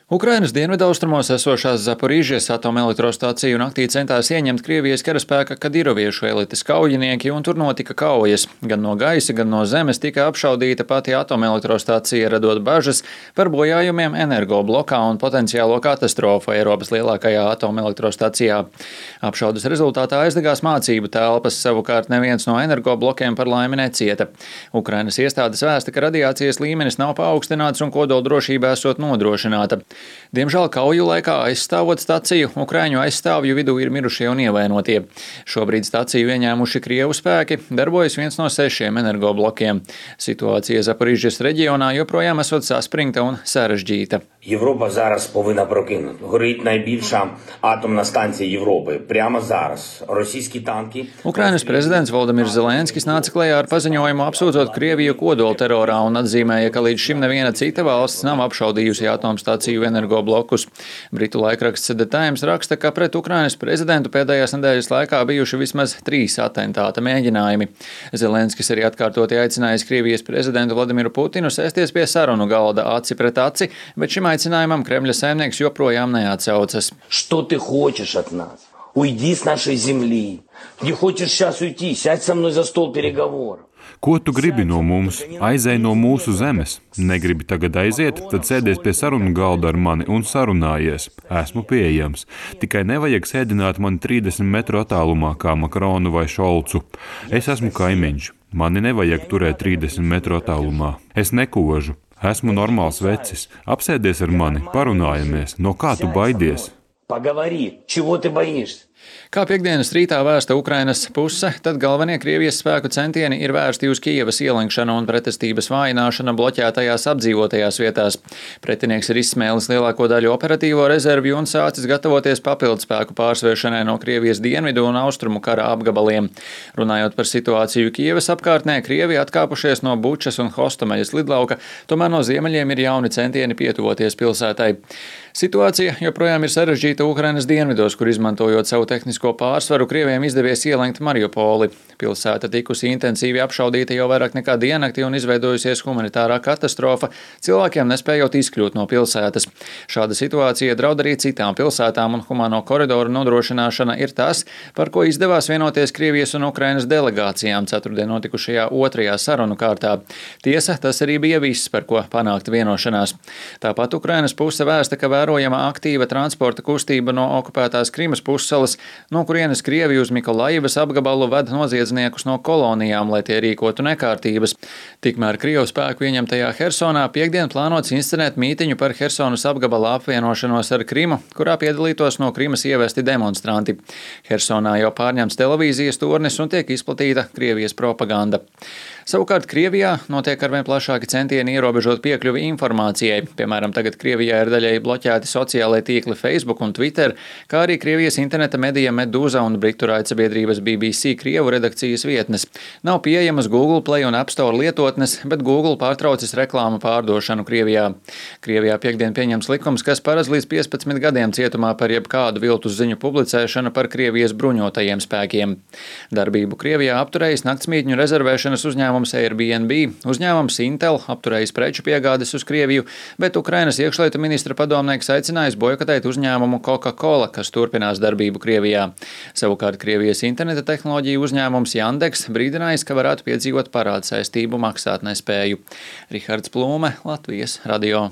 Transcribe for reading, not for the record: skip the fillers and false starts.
Ukrainas dienvidaustrumos esošās Zaporīžas atomelektrostaciju naktī centās ieņemt Krievijas karaspēka kadiroviešu elites kaujinieki, un tur notika kaujas. Gan no gaisa, gan no zemes tika apšaudīta pati atomelektrostacija, radot bažas par bojājumiem energoblokā un potenciālo katastrofu Eiropas lielākajā atomelektrostacijā. Apšaudes rezultātā aizdegās mācību telpas, savukārt neviens no energoblokiem par laimi necieta. Ukrainas iestādes vēsta, ka radiācijas līmenis nav paaugstināts un kodoldrošība esot nodrošināta. Diemžēl kauju laikā aizstāvot staciju, Ukraiņu aizstāvju vidū ir mirušie un ievainotie. Šobrīd staciju ieņēmuši Krievu spēki, darbojas viens no 6 energoblokiem. Situācija Zaporīžas reģionā joprojām esot saspringta un sarežģīta. Європа зараз повинна прокинути. Горить найбільша атомна станція Європи. Прямо зараз. Російські танки. Ukrainas prezidents Voldemirs Zelenskis nāca klajā ar paziņojumu apsūdzot Krieviju kodolterorā un atzīmēja, ka līdz šim neviena cita valsts nav apšaudījusi atomstaciju energoblokus. Britu laikraksts The Times raksta, ka pret Ukrainas prezidentu pēdējās nedēļas laikā bijuši vismaz 3 atentāta mēģinājumi. Zelenskis arī atkārtoti aicinājis Krievijas prezidentu Vladimiru Putinu sēsties pie sarunu galda aci pret aci, bet šim aicinājumam Kremļa saimnieks joprojām neatsaucas. Что ты хочешь от нас? Уйди с нашей земли. Не хочешь сейчас уйти? Сядь со мной за стол переговоров. Ko tu gribi no mums? Aizej no mūsu zemes. Negribi tagad aiziet, tad sēdies pie sarunu galda ar mani un sarunājies. Esmu pieejams. Tikai nevajag sēdināt mani 30 metru attālumā kā Makronu vai Šolcu. Es esmu kaimiņš. Mani nevajag turēt 30 metru attālumā. Es nekožu. Esmu normāls vecis. Apsēdies ar mani, parunājamies. No kā tu baidies? Поговори. Чего ты боишься? Kā piekdienas rītā vēsta Ukrainas puse, tad galvenie Krievijas spēku centieni ir vērsti uz Kijevas ielenkšanu un pretestības vājināšanu bloķētajās apdzīvotajās vietās. Pretinieks ir izsmēlis lielāko daļu operatīvo rezervju un sācis gatavoties papildspēku pārsvēršanai no Krievijas dienvidu un austrumu kara apgabaliem. Runājot par situāciju Kijevas apkārtnē, Krievi atkāpušies no Bučas un Hostomeļas lidlauka, tomēr no ziemeļiem ir jauni centieni pietuvoties pilsētai. Situācija joprojām ir sarežģīta Ukrainas dienvidos, kur izmantojot savu tehnisko pārsvaru, Krieviem izdevies ielenkt Mariupoli. Pilsēta tikusi intensīvi apšaudīta jau vairāk nekā diennakti un izveidojusies humanitārā katastrofa, cilvēkiem nespējot izkļūt no pilsētas. Šāda situācija draud arī citām pilsētām, un humāno koridoru nodrošināšana ir tas, par ko izdevās vienoties Krievijas un Ukrainas delegācijām ceturtdien notikušajā 2. sarunu kārtā. Tiesa, tas arī bija viss, par ko panākta vienošanās. Tāpat Ukrainas puse vēsta, ka vērojama aktīva transporta kustība no okupētās Krimas pussalas, no kurienes Krievi uz Mikolaivas apgabalu ved noziedzniekus no kolonijām, lai tie rīkotu nekārtības. Tikmēr Krievu spēku ieņemtajā Hersonā piekdien plānots inscenēt mītiņu par Hersonas apgabala apvienošanos ar Krimu, kurā piedalītos no Krimas ievesti demonstranti. Hersonā jau pārņemts televīzijas turnis un tiek izplatīta Krievijas propaganda. Savukārt Krievijā notiek arvien plašāki centieni ierobežot piekļuvi informācijai. Piemēram, tagad Krievijā ir daļēji bloķēti sociālai tīkli Facebook un Twitter, kā arī Krievijas interneta medija Meduza un britu raidsabiedrības BBC Krievu redakcijas vietnes. Nav pieejamas Google Play un App Store lietotnes, bet Google pārtraucis reklāmu pārdošanu Krievijā. Krievijā piekdien pieņems likums, kas paredz līdz 15 gadiem cietumā par jebkādu viltus ziņu publicēšanu par Krievijas bruņotajiem spēkiem. Darbību Krievijā apturējis naktsmītņu rezervēšanas uzņēmums Airbnb, uzņēmums Intel apturējis preču piegādes uz Krieviju, bet Ukrainas iekšlietu ministra padomnieks aicinājis bojkotēt uzņēmumu Coca-Cola, kas turpinās darbību Krievijā. Savukārt Krievijas interneta tehnoloģiju uzņēmums Yandex brīdinājis, ka varētu piedzīvot parādsaistību maksātnespēju. Rihards Plūme, Latvijas radio.